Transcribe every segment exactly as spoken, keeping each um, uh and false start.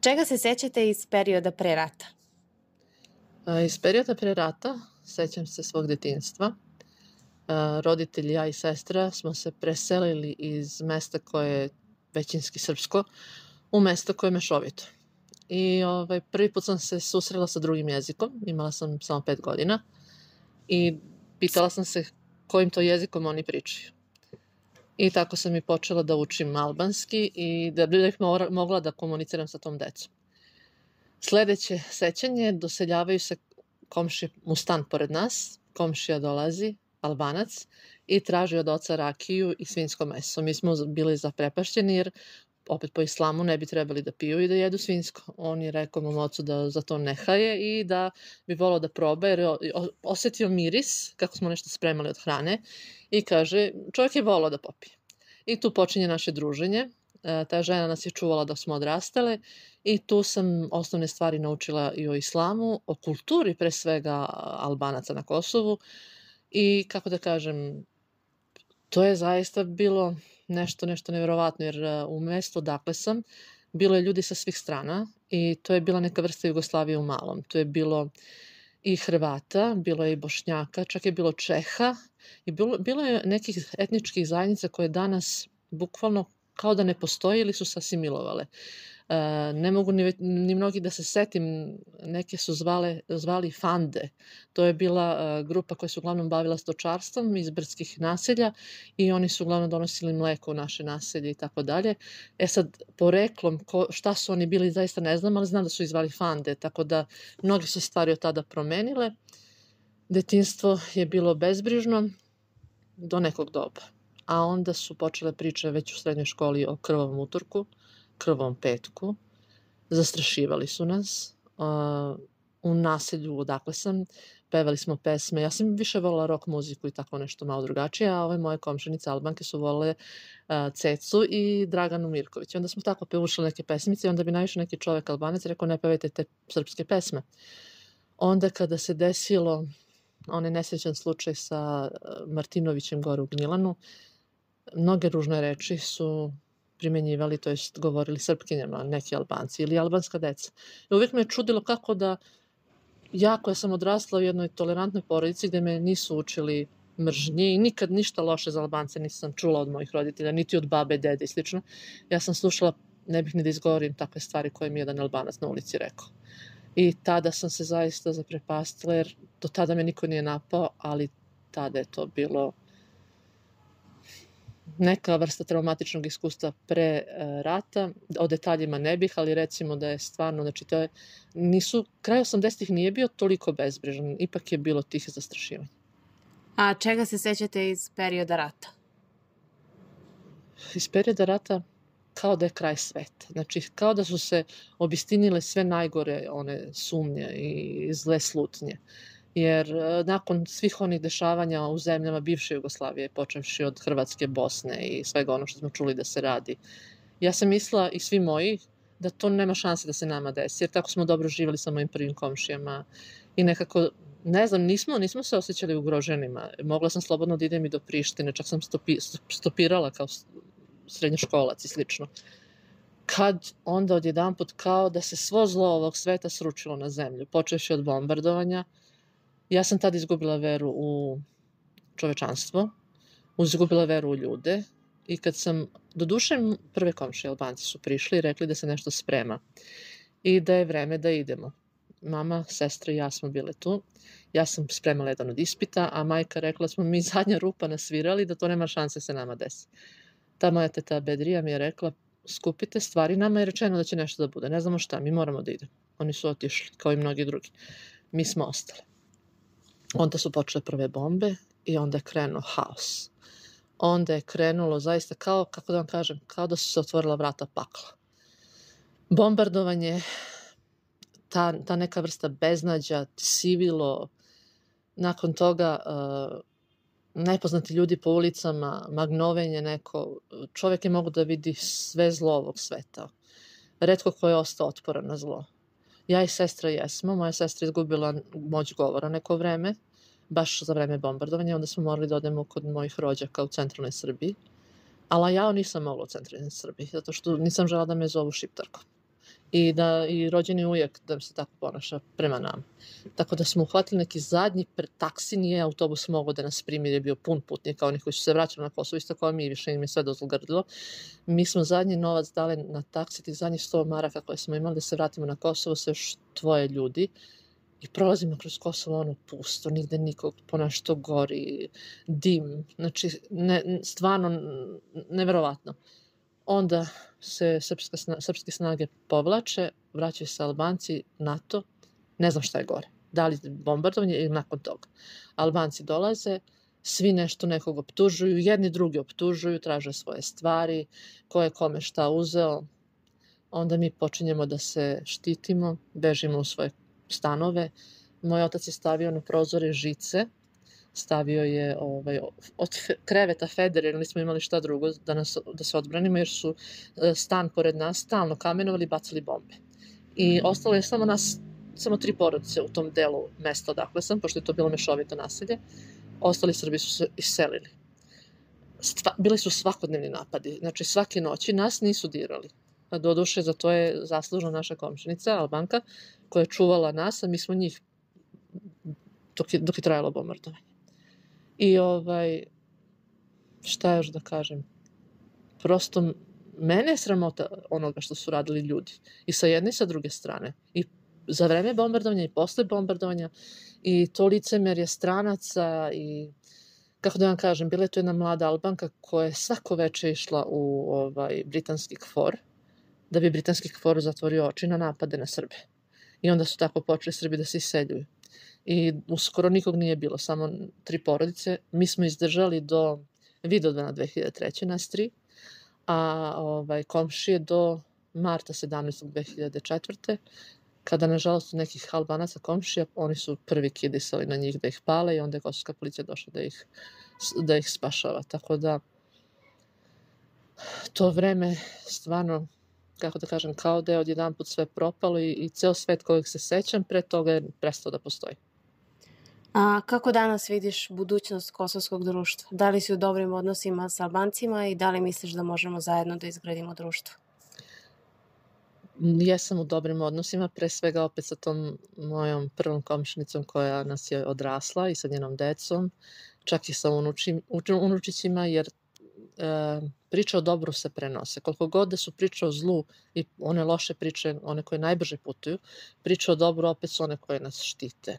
čega se sećate iz perioda pre rata? Iz perioda pre rata sećam se svog detinjstva. Roditelji, ja i sestra smo se preselili iz mesta koje je većinski srpsko u mesto koje je mešovito. I ovaj, prvi put sam se susrela sa drugim jezikom, imala sam samo pet godina i pitala sam se kojim to jezikom oni pričaju. I tako sam i počela da učim albanski i da bih mogla da komuniciram sa tom decom. Sledeće sećanje, doseljavaju se komšije u stan pored nas, komšija dolazi, Albanac, i traži od oca rakiju i svinjsko meso. Mi smo bili zaprepašćeni jer opet po islamu ne bi trebali da piju i da jedu svinjsko. On je rekao mom ocu da za to ne haje i da bi volao da proba jer je osetio miris kako smo nešto spremali od hrane i kaže čovjek je volao da popije. I tu počinje naše druženje. Ta žena nas je čuvala dok smo odrastale i tu sam osnovne stvari naučila i o islamu, o kulturi pre svega Albanaca na Kosovu i kako da kažem, to je zaista bilo nešto, nešto nevjerovatno jer u mestu odakle sam bilo je ljudi sa svih strana i to je bila neka vrsta Jugoslavije u malom. To je bilo i Hrvata, bilo je i Bošnjaka, čak je bilo Čeha i bilo, bilo je nekih etničkih zajednica koje danas bukvalno kao da ne postoji ili su se asimilovale. E, ne mogu ni, ni mnogi da se setim, neke su zvale, zvali Fande. To je bila e, grupa koja se uglavnom bavila stočarstvom iz brdskih naselja i oni su uglavnom donosili mleko u naše naselje i tako dalje. E sad, poreklom, ko, šta su oni bili, zaista ne znam, ali znam da su ih zvali Fande, tako da mnogi su stvari od tada promenile. Detinjstvo je bilo bezbrižno do nekog doba. A onda su počele priče već u srednjoj školi o krvavom utorku, krvavom petku. Zastrašivali su nas. Uh, u naselju odakle sam, pevali smo pesme. Ja sam više volila rock muziku i tako nešto malo drugačije, a ove moje komšinice Albanke su volile uh, Cecu i Draganu Mirković. Onda smo tako pevušali neke pesmice i onda bi najviše neki čovek Albanac rekao ne pevajte te srpske pesme. Onda kada se desilo onaj nesrećan slučaj sa Martinovićem gore u Gnjilanu, mnoge ružne reči su primenjivali, to jest govorili Srpkinjama, neki Albanci ili albanska deca. I uvijek me je čudilo kako da ja koja sam odrasla u jednoj tolerantnoj porodici gde me nisu učili mržnji i nikad ništa loše za Albance nisam čula od mojih roditelja, niti od babe, dede i slično. Ja sam slušala, ne bih ni da izgovorim takve stvari koje mi jedan Albanac na ulici rekao. I tada sam se zaista zaprepastila jer do tada me niko nije napao, ali tada je to bilo neka vrsta traumatičnog iskustva pre uh, rata. O detaljima ne bih, ali recimo da je stvarno, znači to je, nisu, kraj osamdesetih nije bio toliko bezbrižan, ipak je bilo tih zastrašivanja. A čega se sećate iz perioda rata? Iz perioda rata kao da je kraj sveta. Znači, kao da su se obistinile sve najgore one sumnje i zle slutnje. Jer nakon svih onih dešavanja u zemljama bivše Jugoslavije, počevši od Hrvatske, Bosne i svega ono što smo čuli da se radi, ja sam mislila i svi moji da to nema šanse da se nama desi, jer tako smo dobro živjeli sa mojim prvim komšijama i nekako, ne znam, nismo, nismo se osjećali ugroženima. Mogla sam slobodno da idem i do Prištine, čak sam stopi, stopirala kao srednjoškolac i slično. Kad onda odjedanput kao da se svo zlo ovog sveta sručilo na zemlju, počevši od bombardovanja, ja sam tada izgubila veru u čovečanstvo, izgubila veru u ljude i kad sam, do duše prve komšije Albanci su prišli i rekli da se nešto sprema i da je vreme da idemo. Mama, sestra i ja smo bile tu. Ja sam spremala jedan od ispita, a majka rekla da smo mi zadnja rupa nasvirali da to nema šanse se nama desi. Ta moja teta Bedrija mi je rekla skupite stvari, nama je rečeno da će nešto da bude, ne znamo šta, mi moramo da idemo. Oni su otišli, kao i mnogi drugi. Mi smo ostali. Onda su počele prve bombe i onda je krenuo haos. Onda je krenulo zaista kao, kako da vam kažem, kao da su se otvorila vrata pakla. Bombardovanje, ta, ta neka vrsta beznađa, sivilo, nakon toga uh, nepoznati ljudi po ulicama, magnovenje neko, čovjek je mogu da vidi sve zlo ovog sveta. Retko ko je ostao otporan na zlo. Ja i sestra jesmo, moja sestra izgubila moć govora neko vreme, baš za vreme bombardovanja, onda smo morali da odemo kod mojih rođaka u centralnoj Srbiji, ali ja nisam mogla u centralnoj Srbiji, zato što nisam žela da me zovu šiptarkom. i da i rođeni ujak da se tako ponaša prema nama. Tako da smo uhvatili neki zadnji taksi, nije autobus mogao da nas primi jer je bio pun putnika, oni koji su se vraćali na Kosovo, isto kao mi, više im je sve dozlogrdilo. Mi smo zadnji novac dali na taksi, tih zadnjih sto maraka koje smo imali da se vratimo na Kosovo sa još dvoje ljudi. I prolazimo kroz Kosovo, ono pusto, nigde nikog, ponešto gori, dim, znači ne, stvarno neverovatno. Onda se srpska, srpske snage povlače, vraćaju se Albanci, NATO, ne znam šta je gore, da li bombardovanje ili nakon toga. Albanci dolaze, svi nešto nekog optužuju, jedni drugi optužuju, traže svoje stvari, ko je kome šta uzeo. Onda mi počinjemo da se štitimo, bežimo u svoje stanove. Moj otac je stavio na prozore žice, stavio je ovaj, od kreveta Feder, jer nismo imali šta drugo da, nas, da se odbranimo, jer su stan pored nas stalno kamenovali i bacali bombe. I ostalo je samo nas, samo tri porodice u tom delu mesta odakle sam, pošto je to bilo mešovito naselje. Ostali Srbi su se iselili. Stva, bili su svakodnevni napadi, znači svake noći nas nisu dirali. A doduše, za to je zaslužna naša komšinica, Albanka, koja je čuvala nas, a mi smo njih dok je, dok je trajalo bombardovanje. I ovaj, šta još da kažem, prosto mene je sramota onoga što su radili ljudi. I sa jedne i sa druge strane. I za vreme bombardovanja i posle bombardovanja. I to licemerje stranaca i, kako da vam kažem, bila je to jedna mlada Albanka koja je svako veče išla u ovaj, britanski KFOR, da bi britanski KFOR zatvorio oči na napade na Srbe. I onda su tako počeli Srbi da se iseljuju. I uskoro nikog nije bilo, samo tri porodice. Mi smo izdržali do Vidovdana dve hiljade treće nas tri, a ovaj, komšije do marta sedamnaestog dve hiljade četvrte kada nažalost nekih Albanaca komšija, oni su prvi kidisali na njih da ih pale i onda je kosovska policija došla da ih, da ih spašava. Tako da to vreme stvarno, kako da kažem, kao da je odjedan put sve propalo i, i ceo svet kojeg se sećam pre toga je prestao da postoji. A kako danas vidiš budućnost kosovskog društva? Da li si u dobrim odnosima sa Albancima i da li misliš da možemo zajedno da izgradimo društvo? Jesam u dobrim odnosima, pre svega opet sa tom mojom prvom komšinicom koja nas je odrasla i sa njenom decom, čak i sa unučim, unučićima, jer e, priče o dobru se prenose. Koliko god da su priče o zlu i one loše priče, one koje najbrže putuju, priče o dobru opet su one koje nas štite.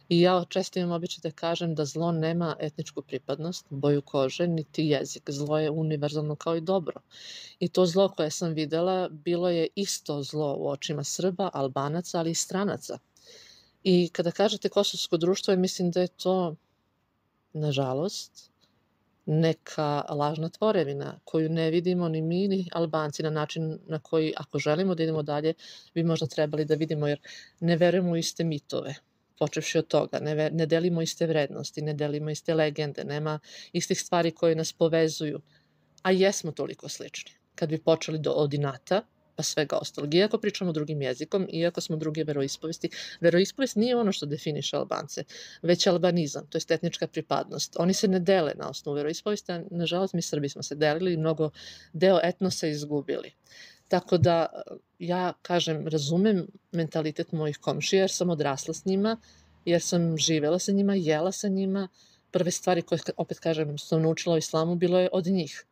I ja često imam običaj da kažem da zlo nema etničku pripadnost, boju kože, niti jezik. Zlo je univerzalno kao i dobro. I to zlo koje sam videla bilo je isto zlo u očima Srba, Albanaca, ali i stranaca. I kada kažete kosovsko društvo, mislim da je to, nažalost, neka lažna tvorevina koju ne vidimo ni mi ni Albanci na način na koji, ako želimo da idemo dalje, bi možda trebali da vidimo, jer ne verujemo u iste mitove. Počevši od toga, ne, ne delimo iste vrednosti, ne delimo iste legende, nema istih stvari koje nas povezuju, a jesmo toliko slični. Kad bi počeli do od inata, pa svega ostalog, iako pričamo drugim jezikom, iako smo druge veroispovesti, veroispovest nije ono što definiše Albance, već albanizam, to je etnička pripadnost. Oni se ne dele na osnovu veroispovesti, a nažalost mi Srbi smo se delili i mnogo deo etnosa izgubili. Tako da, ja kažem, razumem mentalitet mojih komšija jer sam odrasla s njima, jer sam živela sa njima, jela sa njima. Prve stvari koje, opet kažem, sam naučila o islamu, bilo je od njih.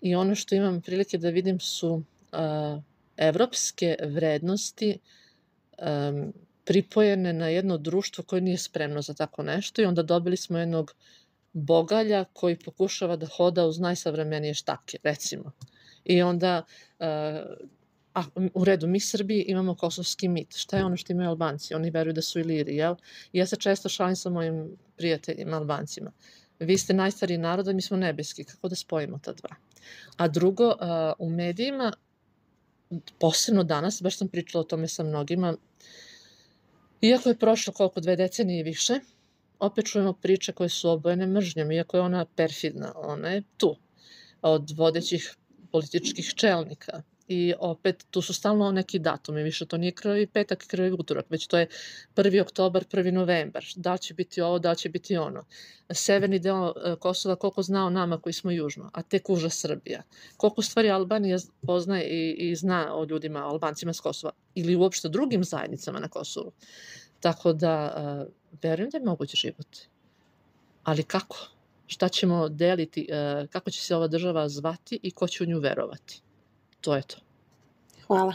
I ono što imam prilike da vidim su uh, evropske vrednosti um, pripojene na jedno društvo koje nije spremno za tako nešto i onda dobili smo jednog bogalja koji pokušava da hoda uz najsavremenije štake, recimo. I onda, uh, a, u redu, mi Srbi imamo kosovski mit. Šta je ono što imaju Albanci? Oni veruju da su Iliri, jel? I ja se često šalim sa mojim prijateljima Albancima. Vi ste najstariji narod, a mi smo nebeski. Kako da spojimo ta dva? A drugo, uh, u medijima, posebno danas, baš sam pričala o tome sa mnogima, iako je prošlo koliko dve decenije i više, opet čujemo priče koje su obojene mržnjom, iako je ona perfidna, ona je tu, od vodećih političkih čelnika I opet, tu su stalno neki datumi, više to nije krvavi petak i krvavi utorak, već to je prvi oktobar, prvi novembar. Da li će biti ovo, da li će biti ono. Severni deo Kosova, koliko zna o nama koji smo južno, a tek uža Srbija. Koliko stvari Albanija poznaje i, i zna o ljudima, o Albancima s Kosova ili uopšte drugim zajednicama na Kosovu. Tako da, uh, verujem da je moguć život. Ali kako? Šta ćemo deliti? Uh, kako će se ova država zvati i ko će u nju verovati? To je to. Hvala.